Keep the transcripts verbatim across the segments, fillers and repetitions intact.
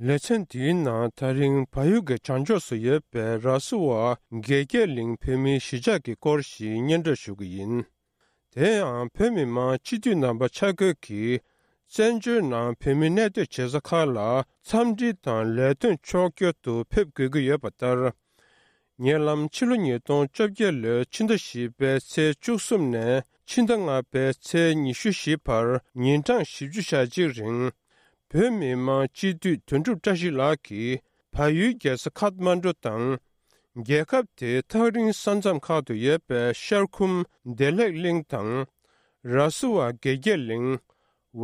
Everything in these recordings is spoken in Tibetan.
ལེ་ཚན་འདིའི་ནང་ད་རིང་བལ་ཡུལ་གྱི་བྱང་ཕྱོགས་སུ་ཡོད་པའི་ར་སུ་བ་དགེ་རྒྱས་གླིང་བོད་མིའི་གཞིས་ཆགས་ཀྱི་སྐོར་ཞིག་སྙན་སྒྲོན་ཞུ་གི་ཡིན། དེ་ཡང་བོད་མི་མང་སྤྱི་འཐུས་རྣམ་པ་ཆ་བགོས་ཀྱིས་བཙན་བྱོལ་ནང་བོད་མི་གནས་སྡོད་བྱེད་ས་ཁག་ལ་འཚམས་འདྲི་དང་ལས་དོན་ཕྱོགས་བསྐྱོད་དུ་ཕེབས་དགོས་ཀྱི་ཡོད་པ་ལྟར། ཉེ་ལམ་ཕྱི་ལོ་ཉིས་སྟོང་བཅོ་བརྒྱད་ལོའི་ཕྱི་ཟླ་བཞི་པའི་ཚེས་བཅུ་གསུམ་ནས་ཕྱི་ཟླ་ལྔ་པའི་ཚེས་ཉི་ཤུ་བཞི་བར་ཉིན་གྲངས་བཞི་བཅུ་ཞེ་གཅིག་རིང་། བོད་མི་མང་སྤྱི་འཐུས་དོན་གྲུབ་བཀྲ་ཤིས་ལགས་ཀྱིས་བལ་ཡུལ་རྒྱལ་ས་ཁཐ་མན་ཌུ་དང་། རྒྱལ་ཁབ་དེའི་ཐག་རིང་ས་མཚམས་ཁག་ཏུ་ཡོད་པའི་ཤར་ཁུམ་བདེ་ལེགས་གླིང་དང་། ར་སུ་བ་དགེ་རྒྱས་གླིང་།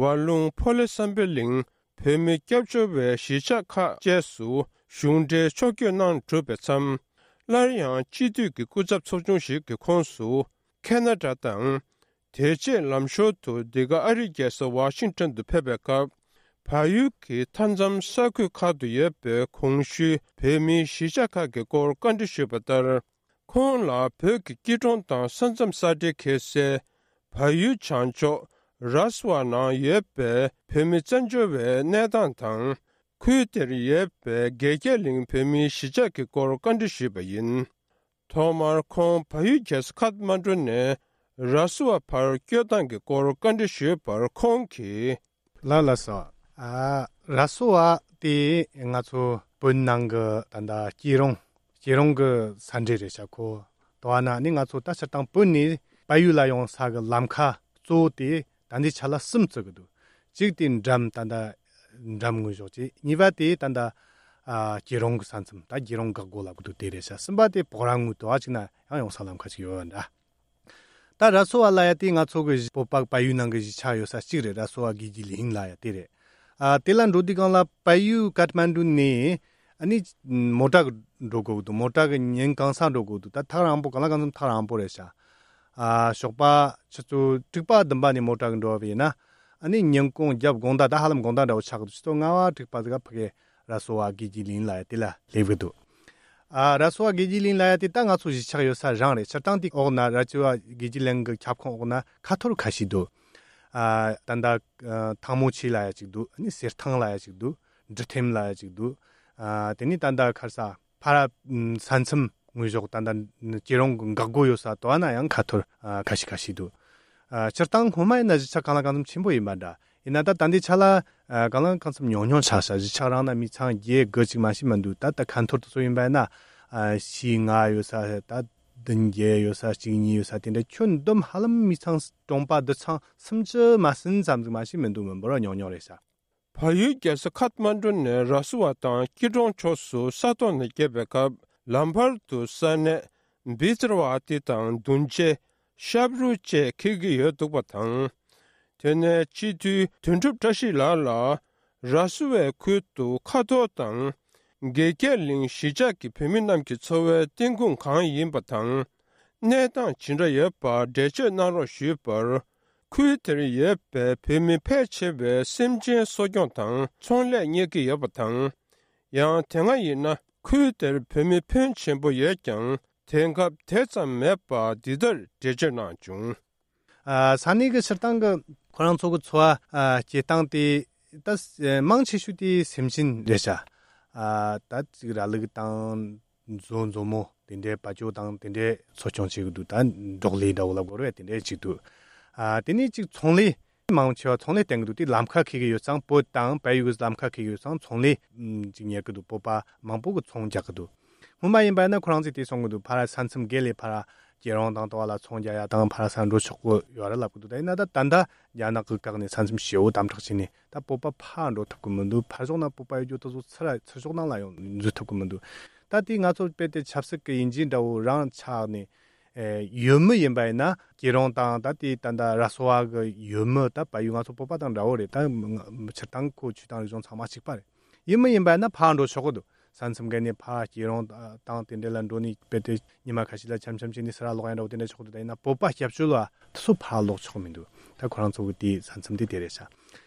ཝ་ལུང་ཕོ་ལེ་སམ་བེ་གླིང་། བོད་མི་སྐྱབས་བཅོལ་བའི་གཞིས་ཆགས་ཁག་བཅས་སུ་གཞུང་འབྲེལ་ཕྱོགས་བསྐྱོད་གནང་གྲུབ་པའི་མཚམས། སླར་ཡང་སྤྱི་འཐུས་ཀྱི་སྐུ་ཚབ་ཚོགས་ཆུང་ཞིག་གི་ཁོངས་སུ་ཁེ་ན་ཌ་དང་། དེ་རྗེས་ལམ་ཞོར་དུ་འདི་ག་ཨ་རིའི་རྒྱལ་ས་ཝ་ཤིང་ཊོན་དུ་ཕེབས་པའི་སྐབས། བལ་ཡུལ་གྱི་མཐའ་མཚམས་ས་ཁུལ་ཁག་ཏུ་ཡོད་པའི་གོང་ཞུས་བོད་མིའི་གཞིས་ཆགས་ཁག་གི་སྐོར་བཀའ་འདྲི་ཞུས་པ་ལྟར། ཁོང་ལ་བོད་ཀྱི་སྐྱིད་གྲོང་དང་ས་མཚམས་ས་འབྲེལ་འཁེལ་སའི་བལ་ཡུལ་བྱང་ཕྱོགས་ར་སུ་བ་ནང་ཡོད་པའི་བོད་མི་བཙན་བྱོལ་བའི་གནས་སྟངས་དང་། ཁུལ་དེར་ཡོད་པའི་དགེ་རྒྱས་གླིང་བོད་མིའི་གཞིས་ཆགས་ཀྱི་སྐོར་བཀའ་འདྲི་ཞུས་པ་ཡིན། ཐོག་མར་ཁོང་བལ་ཡུལ་རྒྱལ་ས་ཁཐ་མན་ཌུ་ནས་ར་སུ་བ་བར་བསྐྱོད་སྟངས་ཀྱི་སྐོར་བཀའ་འདྲི་ཞུས་པར་ཁོང་གིས། ལགས་ལགས་སོ། ཨ། ར་སུ་བ་དེ་ང་ཚོ་བོད་ནང་གི་ད་ལྟ་སྐྱིད་རོང་། སྐྱིད་རོང་གི་ས་འབྲེལ་རེད་ཤག་ཁོ། དེ་བ་ན་ནི་ང་ཚོ་ད་སྤྱིར་བཏང་བོད་ནས་བལ་ཡུལ་ལ་ཡོང་ས་གི་ལམ་ཁ་གཙོ་བོ་དེ་ད་ལྟའི་ཆ་ལ་གསུམ་བརྩི་གི་འདུག་གཅིག་དེ་འགྲམ་ད་ལྟ་འགྲམ་ངོས་ཕྱོགས་གཅིག་གཉིས་པ་དེ་ད་ལྟ་ཨ་སྐྱིད་རོང་གི་ས་མཚམས་ད་སྐྱིད་རོང་འགག་སྒོ་ལབ་གི་འདུག་དེ་རེད་ཤག་གསུམ་པ་དེ་སྤོག་ར་ངོས་དེ་བ་གཅིག་ན་ཡང་ཡོང་ས་ལམ་ཁ་ཅིག་ཡོད་པ་འདྲ། ད་ར་སོ་བ་ལ་ཡ་དེ་ང་ཚོ་གི་བོད་པ་བལ་ཡུལ་ནང་གི་གཞིས་ཆགས་ཡོད་ས་གཅིག་རེད། ར་སོ་བ་དགེ་རྒྱས་གླིང་ལ་ཡ་དེ་རེད། ཨ་དེ་ལ་འགྲོ་དུས་སྒང་ལ་བལ་ཡུལ་ཀཏ་མན་ཌུ་ནས་ཨ་ནི་མོ་ཊ་གི་འགྲོ་དགོས་ཀྱི་འདུག་མོ་ཊ་གི་ཉིན་གང་སར་འགྲོ་དགོས་འདུག་ད་ཐག་རིང་པོ་གང་ལ་གང་འཚམ་ཐག་རིང་པོ་རེད་ཤག་ཨ་ཞོགས་པ་ཆུ་ཚོད་དྲུག་པ་བདུན་པ་ནས་མོ་ཊ་གི་འགྲོ་བ་ཡིན་ན་ཨ་ནི་ཉིན་གུང་རྒྱབ་དགོང་དག་ད་ཧ་ལམ་དགོང་དག་འདྲ་བོ་ཆགས་ཀྱི་འདུག་ཆུ་ཚོད་ལྔ་པ་དྲུག་པ་ཟིག་ག་ཕ་གི་ར་སོ་བ་དགེ་རྒྱས་གླིང་ལ་ཡ་དེ་ལ་སླེབས་གི་འདུག་ཨ་ར་སོ་བ་དགེ་རྒྱས་གླིང་ལ་ཡ་དེ་ད་ང་ཚོ་གཞིས་ཆགས་ཡོད་ས་རང་རེད། སྤྱིར་བཏང་དེ་འོག་ན་ར་སོ་བ་དགེ་རྒྱས་གླིང་གི་ཁྱབ་ཁོངས་འོག་ན་ཁ་ཐོར་ཁ་ཤས་འདུག་ཨ་ད་ལྟ་ཨ་ཐང་མོ་ཆེ་ལ་ཡ་གཅིག་འདུག་ཨ་ནི་གསེར་ཐང་ལ་ཡ་གཅིག་འདུག་འབྲི་ཐེམ་ལ་ཡ་གཅིག་འདུག་ཨ་དེ་ནས་ད་ལྟ་ཁར་ས་ཕ་ར་ཨ་ས་མཚམས་ངོས་ཕྱོགས་ད་ལྟ་སྐྱིད་རོང་གི་འགག་སྒོ་ཡོད་ས་དེ་བ་ན་ཡང་ཁ་ཐོར་ཨ་ཁ་ཤས་ཁ་ཤས་འདུག་ཨ་སྤྱིར་བཏང་སྔོན་མ་ཡིན་ན་གཞིས་ཆགས་གང་ལ་གང་འཚམ་ཆེན་པོ་ཡིན་པ་འདྲ། ཡིན་ན་ད་ད་ལྟའི་ཆ་ལ་ཨ་གང་ལ་གང་འཚམ་ཉུང་ཉུང་ཆགས་ཤག་གཞིས་ཆགས་རང་ན་མི་ཚང་བརྒྱད་དགུ་ཅིག་མ་ཤི་མི་འདུག་ད་ད་ཁ་འཐོར་དུ་སོ་ཡིན་པ་ཡིན་ན་ཨ་བཞི་ལྔ་ཡོད་ས། ད་བདུན་བརྒྱད་ཡོད་ས། གཅིག་གཉིས་ཡོད་ས། དེ་འདྲ་ཁྱོན་བསྡོམས་ཧ་ལམ་མི་ཚང་གྲོང་པ་བདུན་ཚང་སུམ་ཅུ་མ་ཟིན་ཙམ་ཟིག་མ་ཤི་མི་འདུག་མི་འབོར་བ་ཉུང་ཉུང་རེད་ཤག་བལ་ཡུལ་རྒྱལ་ས་ཁཐ་མན་ཌུ་ནས་ར་སུ་བ་དང་སྐྱིད་གྲོང་ཕྱོགས་སུ་ས་ཐོག་ནས་བསྐྱོད་པའི་སྐབས་ལམ་བར་དུ་ས་གནས་བི་ཙར་བ་ཏི་དང་དུན་ཅེ། ཤབ་རུ་བཅས་འཁེལ་གྱི་ཡོད་འདུག་པ་དང་། དེ་ནས་སྤྱི་འཐུས་དོན་གྲུབ་བཀྲ་ཤིས་ལགས་ལ་ར་སུ་བའི་ཁུལ་དུ་ཁ་ཐོར་དང་དགེ་རྒྱས་གླིང་གཞིས་ཆགས་ཀྱི་བོད་མི་རྣམས་ཀྱི་འཚོ་བའི་རྟེན་ཁུངས་གང་ཡིན་པ་དང་། གནས་སྟངས་ཇི་འདྲ་ཡོད་པར་འགྲེལ་བརྗོད་གནང་རོགས་ཞུས་པར། ཁུལ་དེར་ཡོད་པའི་བོད་མི་ཕལ་ཆེ་བས་སེམས་ཅན་གསོ་སྐྱོང་དང་ཚོང་ལས་གཉེར་གྱི་ཡོད་པ་དང་། ཡང་དེ་སྔ་ཡིན་ན་ཁུལ་དེར་བོད་མི་ཕོན་ཆེན་པོ་ཡོད་ཀྱང་དེང་སྐབས་དེ་ཙམ་མེད་པ་འདི་ལྟར་འགྲེལ་བརྗོད་གནང་བྱུང་། ཨ་ས་གནས་ཀྱི་སྤྱིར་བཏང་གི་ཁོ་རང་ཚོ་གི་འཚོ་བ་ཨ་སྐྱེལ་སྟངས་དེ་ད་མང་ཆེ་ཤོས་དེ་སེམས་ཅན་རེད་ཤག་ཨ་ད་ཅིག་ར་ལུག་དང་། མཛོ་མཛོ་མོ་དེ་འདྲའི་བ་ཅོ་དང་དེ་འདྲའི་འཚོ་སྐྱོང་བྱེད་ཀྱི་འདུག་ད་འབྲོག་ལས་འདྲ་བོ་ལབ་དགོས་རེད། དེ་འདྲའི་བྱེད་ཀྱི་འདུག་ཨ་དེ་ནས་ཅིག་ཚོང་ལས་མང་ཆེ་བ་ཚོང་ལས་བསྟེན་གྱི་འདུག་དེ་ལམ་ཁ་འཁེལ་གྱི་ཡོད་ཙང་བོད་དང་བལ་ཡུལ་གྱི་ལམ་ཁ་འཁེལ་གྱི་ཡོད་ཙང་ཚོང་ལས་ཅིག་གཉེར་གྱི་འདུག་བོད་པ་མང་པོ་གི་ཚོང་རྒྱག་གི་འདུག་སྔོན་མ་ཡིན་པ་ཡིན་ན་ཁོ་རང་ཚོས་དེ་གསུང་གི་འདུག་ཕ་ར་ས་མཚམས་བརྒལ་ལས་ཕ་ར་སྐྱིད་རོང་དང་ལྟོ་བ་ལ་ཚོང་རྒྱག་ཡ་དང་ཕ་ར་ས་འགྲོ་ཆོག་གི་ཡོད་རེད་ལབ་གི་འདུག་ད་ཡིན་ན་ད་ད་ལྟ་རྒྱ་ནག་གི་བཀག་ནས་ས་མཚམས་ཞེ་བོ་དམ་དྲག་བྱས་ནས། ད་བོད་པ་ཕར་འགྲོ་ཐུབ་ཀྱི་མི་འདུག་ཕར་ཕྱོགས་ན་བོད་པ་ཡོད་རྒྱུ་དེ་ཚོ་ཚུར་ཚུར་ཕྱོགས་ནང་ལ་ཡང་འཛུལ་ཐུབ་ཀྱི་མི་འདུག་ད་དེ་ང་ཚོ་དཔེ་དེ་ཆབ་སྲིད་ཀྱི་དབྱིན་ཇི་འདྲ་བོ་རང་ཆགས་ནས་ཨེ་ཡུལ་མི་ཡིན་པ་ཡིན་ན་སྐྱིད་རོང་དང་ད་དེ་ད་ད་ར་སོ་བ་གི་ཡུལ་མི་ད་བལ་ཡུལ་ང་ཚོ་བོད་པ་དང་འདྲ་བོ་རེད། ད་སྤྱིར་བཏང་ཁོ་ཆོས་དང་རིག་གཞུང་ཚང་མ་གཅིག་པ་རེད། ཡིན་མི་ཡིན་པ་ཡིན་ན་ཕར་འགྲོ་ཆོག་གི་འདུག་ས་མཚམས་བརྒལ་ནས་ཕར་སྐྱིད་རོང་དང་དེ་འདྲ་ལ་འགྲོ་ནས་དཔེ་དེ་ཉི་མ་ཁ་ཤས་ལ་འཆམ་འཆམ་བྱས་ནས་སེ་ར་ལོག་ཡ་འདྲ་བོ་དེ་འདྲ་ཆོག་གི་འདུག་ད་ཡིན་ན་བོད་པ་སྐྱབས་བཅོལ་བ་དེ་ཚོ་ཕར་ལོག་ཆོག་གི་མི་འདུག་ད་ཁོ་རང་ཚོ་གི་དེ་ས་མཚམས་དེ་དེ་རེད་ཤག་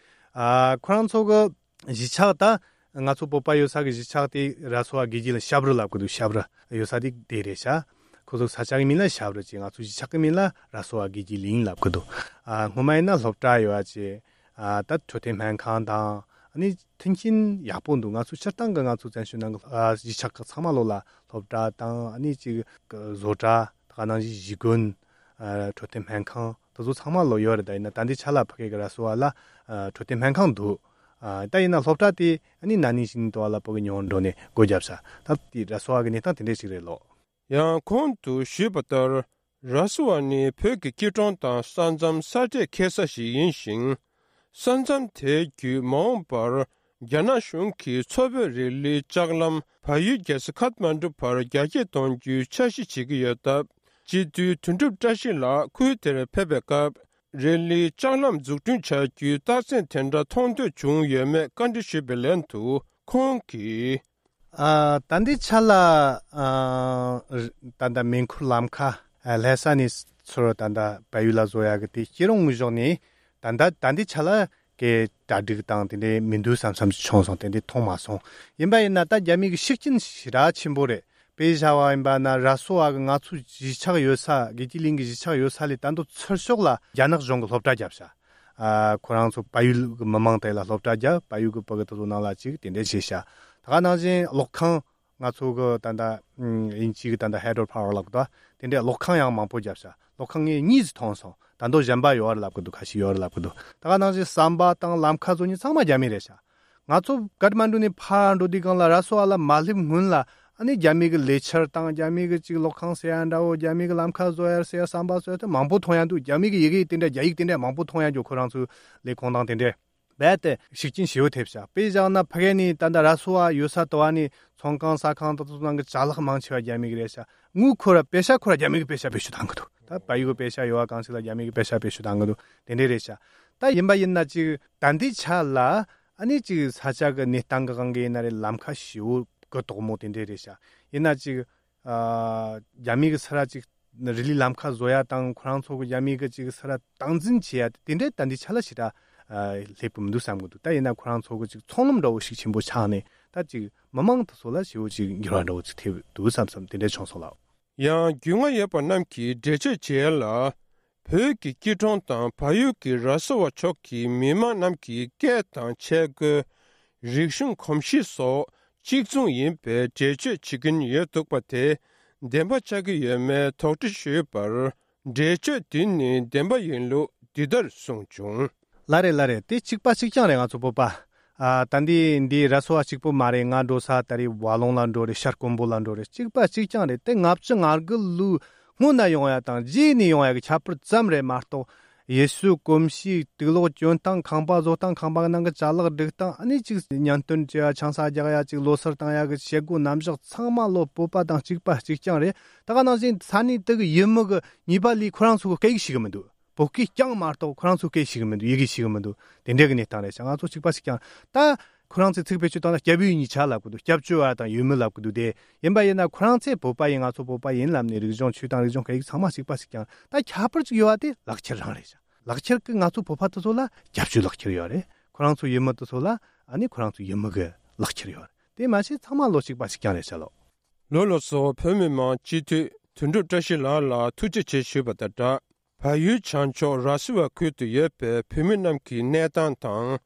ཨ་ཁོ་རང་ཚོ་གི་གཞིས་ཆགས་ད་ང་ཚོ་བོད་པ་ཡོད་ས་གི་གཞིས་ཆགས་དེ་ར་སོ་བ་དགེ་རྒྱས་ལ་ཤབ་རུ་ལབ་གི་འདུག་ཤབ་རུ་ཡོད་ས་དེ་དེ་རེད་ཤག་ཁོ་ཚོ་ས་ཆ་གི་མིང་ལ་ཤབ་རུ་བྱས། ང་ཚོ་གཞིས་ཆགས་གི་མིང་ལ་ར་སོ་བ་དགེ་རྒྱས་གླིང་ལབ་གི་འདུག་ཨ་སྔོན་མ་ཡིན་ན་སློབ་གྲྭ་ཡོད་ཨ་ཅེ། ཨ་ད་འཕྲོད་བསྟེན་སྨན་ཁང་དང་ ཨ་ནི་མཐུན་རྐྱེན་ཡག་པོ་འདུག་ང་ཚོ་སྤྱིར་བཏང་གི་ང་ཚོ་བཙན་བྱོལ་ནང་གི་ཨ་གཞིས་ཆགས་ཁག་ཚང་མ་ལོ་ལ་སློབ་གྲྭ་དང་ཨ་ནི་ཅིག་བཟོ་གྲྭ་དང་ནང་བཞིན་གཞིས་དགོན། ཨ་འཕྲོད་བསྟེན་སྨན་ཁང་དེ་ཚོ་ཚང་མ་ལོ་ཡོད་རེད། ད་ཡིན་ན་ད་འདི་ཆ་ལ་ཕ་གི་གི་ར་སོ་བ་ལ་ཨ་འཕྲོད་བསྟེན་སྨན་ཁང་འདུག་ཨ་ད་ཡིན་ན་སློབ་གྲྭ་དེ་ཨ་ནི་ན་ནིང་ཞིག་ནས་དུ་བ་ལ་ཕ་གི་ཉོ་འགྲོ་ནས་སྒོ་བརྒྱབ་ཤག་ད་དེ་ར་སོ་བ་གི་གནས་སྟངས་དེ་འདྲ་ཞིག་རེད་ལོ། ཡང་གོང་དུ་ཞུས་པ་ལྟར། ར་སུ་བ་ནི་བོད་ཀྱི་སྐྱིད་གྲོང་དང་ས་མཚམས་ས་འབྲས་འཁེལ་ས་ཞིག་ཡིན་ཞིང་། ས་མཚམས་དེའི་བརྒྱུད་མ་འོངས་པར་རྒྱ་ནག་གཞུང་གིས་མཚོ་བོད་རི་ལིའི་ལྕགས་ལམ་བལ་ཡུལ་རྒྱལ་ས་ཁཐ་མན་གྲུ་བར་རྒྱ་སྐྱེད་གཏོང་རྒྱུའི་འཆར་གཞི་བྱེད་ཀྱི་ཡོད་སྟབས། སྤྱི་འཐུས་དོན་གྲུབ་བཀྲ་ཤིས་ལགས་ཁུལ་དེར་ཕེབས་པའི་སྐབས། རི་ལིའི་ལྕགས་ལམ་འཛུགས་སྐྲུན་བྱ་རྒྱུའི་རྟགས་མཚན་དེ་འདྲ་མཐོང་ཐོས་བྱུང་ཡོད་མེད་བཀའ་འདྲི་ཞུས་པའི་ལན་དུ་ཁོང་གིས། ཨ་ད་འདི་ཆ་ལ་ཨ་ད་ལྟ་མེ་འཁོར་ལམ་ཁ་ཨ་ལྷ་ས་ནས་ཚུར་ད་ལྟ་བལ་ཡུལ་ལ་བཟོ་ཡག་གི་དེ་སྐྱིད་རོང་ངོས་ཕྱོགས་ནས་ད་ལྟ་ད་འདི་ཆ་ལ་གི་གྲ་སྒྲིག་དང་དེ་འདྲའི་མི་འདུག་བསམ་བསམ་ཅིག་བྱུང་སོང་། དེ་འདྲའི་མཐོང་མ་སོང་། ཡིན་པ་ཡིན་ན་ད་རྒྱ་མི་གི་ཤུགས་རྐྱེན་ཞེ་དྲག་ཆེན་པོ་རེད། དཔེ་བཞག་པ་ཡིན་པ་ན་ར་སོ་བ་གི་ང་ཚོའི་གཞིས་ཆགས་ཡོད་ས་དགེ་ལྡན་གླིང་གི་གཞིས་ཆགས་ཡོད་ས་ལས་ད་དུང་ཚུར་ཕྱོགས་ལ་རྒྱ་ནག་གཞུང་གི་སློབ་གྲྭ་བརྒྱབ་ཤག་ཨ་ཁོ་རང་ཚོ་བལ་ཡུལ་གི་མི་མང་དེ་ལ་སློབ་གྲྭ་བརྒྱབ། བལ་ཡུལ་གི་ཕ་གི་དེ་ཚོ་ནང་ལ་ཅིག་དེ་འདྲས་བྱས་ཤག་ད་ག་ནང་བཞིན་གློག་ཁང་ང་ཚོ་གི་ད་ལྟ་ཨིན་ཅི་གི་ད་ལྟ་ཧའི་ཌྲོ་པ་ཝར་ལབ་གི་འདུག་དེ་འདྲས་གློག་ཁང་ཡང་མང་པོ་བརྒྱབ་ཤག་གློག་ཁང་ངས་གཉིས་ཙམ་མཐོང་སོང་། ད་དུང་གཞན་པ་ཡོད་རེད་ལབ་གི་འདུག་ཁ་ཤས་ཡོད་རེད་ལབ་གི་འདུག་ད་ག་ནང་བཞིན་ཟམ་པ་དང་ལམ་ཁ་བཟོ་མཁན་ཚང་མ་རྒྱ་མི་རེད་ཤག་ང་ཚོ་ཀཐ་མན་ཌུ་ནས་ཕར་འགྲོ་དུས་སྒང་ལ་ར་སོ་བ་ལ་མ་སླེབས་སྔོན་ལ་ཨ་ནི་རྒྱ་མི་གི་ལས་འཆར་དང་རྒྱ་མི་གི་ཅིག་གློག་ཁང་ཟེར་ཡ་འདྲ་བོ། རྒྱ་མི་གི་ལམ་ཁ་བཟོ་ཡ་ཟེར་ཡ། ཟམ་པ་བཟོ་ཡ་དེ་མང་པོ་མཐོང་ཡ་འདུག་རྒྱ་མི་གི་ཡི་གེ་དེ་འདྲ་རྒྱ་ཡིག་དེ་འདྲ་མང་པོ་མཐོང་ཡ་འདུག་ཁོ་རང་ཚོའི་ལས་ཁུངས་དང་དེ་འདྲ་རྦད་དེ་ཤུགས་རྐྱེན་ཞེ་པོ་ཐེབས་ཤག་དཔེ་བཞག་ན་ཕ་གི་ནས་ད་ལྟ་ར་སོ་བ་ཡོད་ས་དུ་བ་ནས་ཚོང་ཁང་ཟ་ཁང་དང་དེ་ཚོ་ནང་གི་ཅ་ལག་མང་ཆེ་བ་རྒྱ་མི་གི་རེད་ཤག་དངུལ་ཁོ་ར་པེ་ཤ་ཁོ་ར་རྒྱ་མི་གི་པེ་ཤ་བེད་སྤྱོད་བཏང་གི་འདུག་ད་བལ་ཡུལ་གི་པེ་ཤ་ཡོད་པ་གང་ཞིག་ལ་རྒྱ་མི་གི་པེ་ཤ་བེད་སྤྱོད་བཏང་གི་འདུག་དེ་འདྲ་རེད་ཤག་ད་ཡིན་པ་ཡིན་ན་ཅིག་ད་འདི་ཆ་ལ་ཨ་ནི་ཅིག་ས་ཆ་གི་གནས་སྟངས་གི་དབང་གིས་ཡིན་ན་རེད། ལམ་ཁ་ཞེ་པོ་གི་དོག་མོ་དེ་འདྲ་རེད་ཤག་ཡིན་ན་ཅིག་ཨ་རྒྱ་མི་གི་སི་ར་ཅིག་རི་ལི་ལམ་ཁ་བཟོ་ཡ་དང་ཁོ་རང་ཚོ་གི་རྒྱ་མི་གི་ཅིག་སི་ར་སྟངས་འཛིན་བྱེད་ཡ་དེ་འདྲ་ད་འདི་ཆ་ལ་ཞེ་དྲག་ཨ་སླེབས་གི་མི་འདུག་བསམ་གི་འདུག་ད་ཡིན་ན་ཁོ་རང་ཚོ་གི་ཅིག་ཚོང་ལམ་འདྲ་བོ་ཞིག་ཆེན་པོ་ཆགས་ནས་ད་ཅིག་མི་མང་དེ་ཚོ་ལ་ཞེ་པོ་ཅིག་འགྱུར་བ་འདྲ་བོ་ཅིག་ཐེབས་འདུག་བསམ་བསམ་དེ་འདྲ་བྱུང་སོང་ལགས། ཡང་རྒྱུས་མངའ་ཡོད་པ་རྣམས་ཀྱིས་འགྲེལ་བརྗོད་བྱེད་ཡ་ལ། བོད་ཀྱི་སྐྱིད་གྲོང་དང་བལ་ཡུལ་གྱི་ར་སོ་བ་ཕྱོགས་ཀྱི་མི་མང་རྣམས་ཀྱི་སྐད་དང་ཆས་གོས། རིག་གཞུང་གོམས་གཤིས་སོགས་གཅིག་མཚུངས་ཡིན་པའི་འགྲེལ་བརྗོད་བྱེད་ཀྱིན་ཡོད་འདུག་པ་དེ་བདེན་པ་ཆགས་ཀྱི་ཡོད་མེད་དོགས་འདྲི་ཞུས་པར། འགྲེལ་བརྗོད་འདི་ནི་བདེན་པ་ཡིན་ལུགས་འདི་ལྟར་གསུངས་བྱུང་། ལགས་རེད་ལགས་རེད། དེ་གཅིག་པ་གཅིག་རྐྱང་རེད། ང་ཚོ་བོད་པ། ཨ་ད་འདི་འདི་ར་སོ་བ་གཅིག་པོ་མ་རེད། ང་འགྲོ་ས་ད་རེས་ཝ་ལོང་ལ་འགྲོ་རེད། ཤར་ཀོང་པོ་ལ་འགྲོ་རེད། གཅིག་པ་གཅིག་རྐྱང་རེད། དེ་ལྔ་བཅུ་ང་དགུ་ལོའི་སྔོན་ན་ཡོང་ཡ་དང་རྗེས་ནས་ཡོང་ཡ་གི་ཁྱད་པར་ཙམ་རེད་མ་གཏོགས། ཡུལ་སྲོལ་གོམས་གཤིས། དུག་ལོག་གྱོན་སྟངས། ཁང་པ་བཟོ་སྟངས། ཁང་པ་གི་ནང་གི་ཅ་ལག་སྒྲིག་སྟངས། ཨ་ནི་ཅིག་གཉེན་སྟོན་བྱེད་ཡ། ཆང་ས་རྒྱག་ཡ། ཅིག་ལོ་གསར་བཏང་ཡ་གི་བྱེད་སྒོ་རྣམ་གཞག་ཚང་མ་ལོ་བོད་པ་དང་གཅིག་པ་གཅིག་རྐྱང་རེད། ད་ག་ནང་བཞིན་ས་གནས་དེ་གི་ཡུལ་མི་གི་ཉེས་པ་ལས་ཁོ་རང་ཚོ་གི་སྐད་ཡིག་ཤེས་གི་མི་འདུག་བོད་སྐད་རྐྱང་མ་གཏོགས་ཁོ་རང་ཚོ་སྐད་ཤེས་གི་མི་འདུག་ཡི་གེ་ཤེས་གི་མི་འདུག་དེ་འདྲ་གི་གནས་སྟངས་རེད་ཤག་ང་ཚོ་གཅིག་པ་གཅིག་རྐྱང་། ད་ཁོ་རང་ཚོས་ཚིག་བེད་སྤྱོད་བཏང་ན་སྐྱབས་ཡུལ་གཉིས་ཆ་ལབ་གི་འདུག་སྐྱབས་བཅོལ་བ་དང་ཡུལ་མི་ལབ་གི་འདུག་དེ་ཡིན་པ་ཡིན་ན་ཁོ་རང་ཚོས་བོད་པ་ཡིན། ང་ཚོ་བོད་པ་ཡིན་ལབ་ནས་རིག་གཞུང་ཆོས་དང་རིག་གཞུང་སྐད་ཡིག་ཚང་མ་གཅིག་པ་གཅིག་རྐྱང་། ད་ཁྱད་པར་ཅིག་ཡོད་པ་དེ་ལག་ཁྱེར་རང་རེད་ཤག་ལག་ཁྱེར་གི་ང་ཚོ་བོད་པ་དེ་ཚོ་ལ་སྐྱབས་བཅོལ་ལག་ཁྱེར་ཡོད་རེད། ཁོ་རང་ཚོ་ཡུལ་མི་དེ་ཚོ་ལ་ཨ་ནི་ཁོ་རང་ཚོ་ཡུལ་མི་གི་ལག་ཁྱེར་ཡོད་རེད། དེ་མ་ཟད་ཚང་མ་ལོ་གཅིག་པ་གཅིག་རྐྱང་རེད་ཤག་ལོ། ལགས་སོ། བོད་མི་མང་སྤྱི་འཐུས་དོན་གྲུབ་བཀྲ་ཤིས་ལགས་ལ་ཐུགས་རྗེ་ཆེ་ཞུས་པ་དང་སྦྲགས། བལ་ཡུལ་བྱང་ཕྱོགས་ར་སུ་བ་ཁུལ་དུ་ཡོད་པའི་བོད་མི་རྣམས་ཀྱི་གནས་སྟངས་དང་།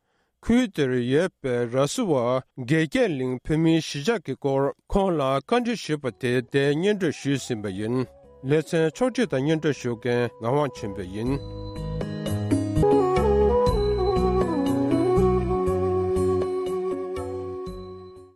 ཁུལ་དེར་ཡོད་པའི་ར་སུ་བ་དགེ་རྒྱས་གླིང་བོད་མིའི་གཞིས་ཆགས་ཀྱི་སྐོར་ཁོང་ལ་བཀའ་འདྲི་ཞུས་པ་དེ་འདིར་སྙན་སྒྲོན་ཞུས་ཟིན་པ་ཡིན། ལེ་ཚན་ཕྱོགས་སྒྲིག་དང་སྙན་སྒྲོན་ཞུ་མཁན་ངག་དབང་ཆོས་འཕེལ་ཡིན།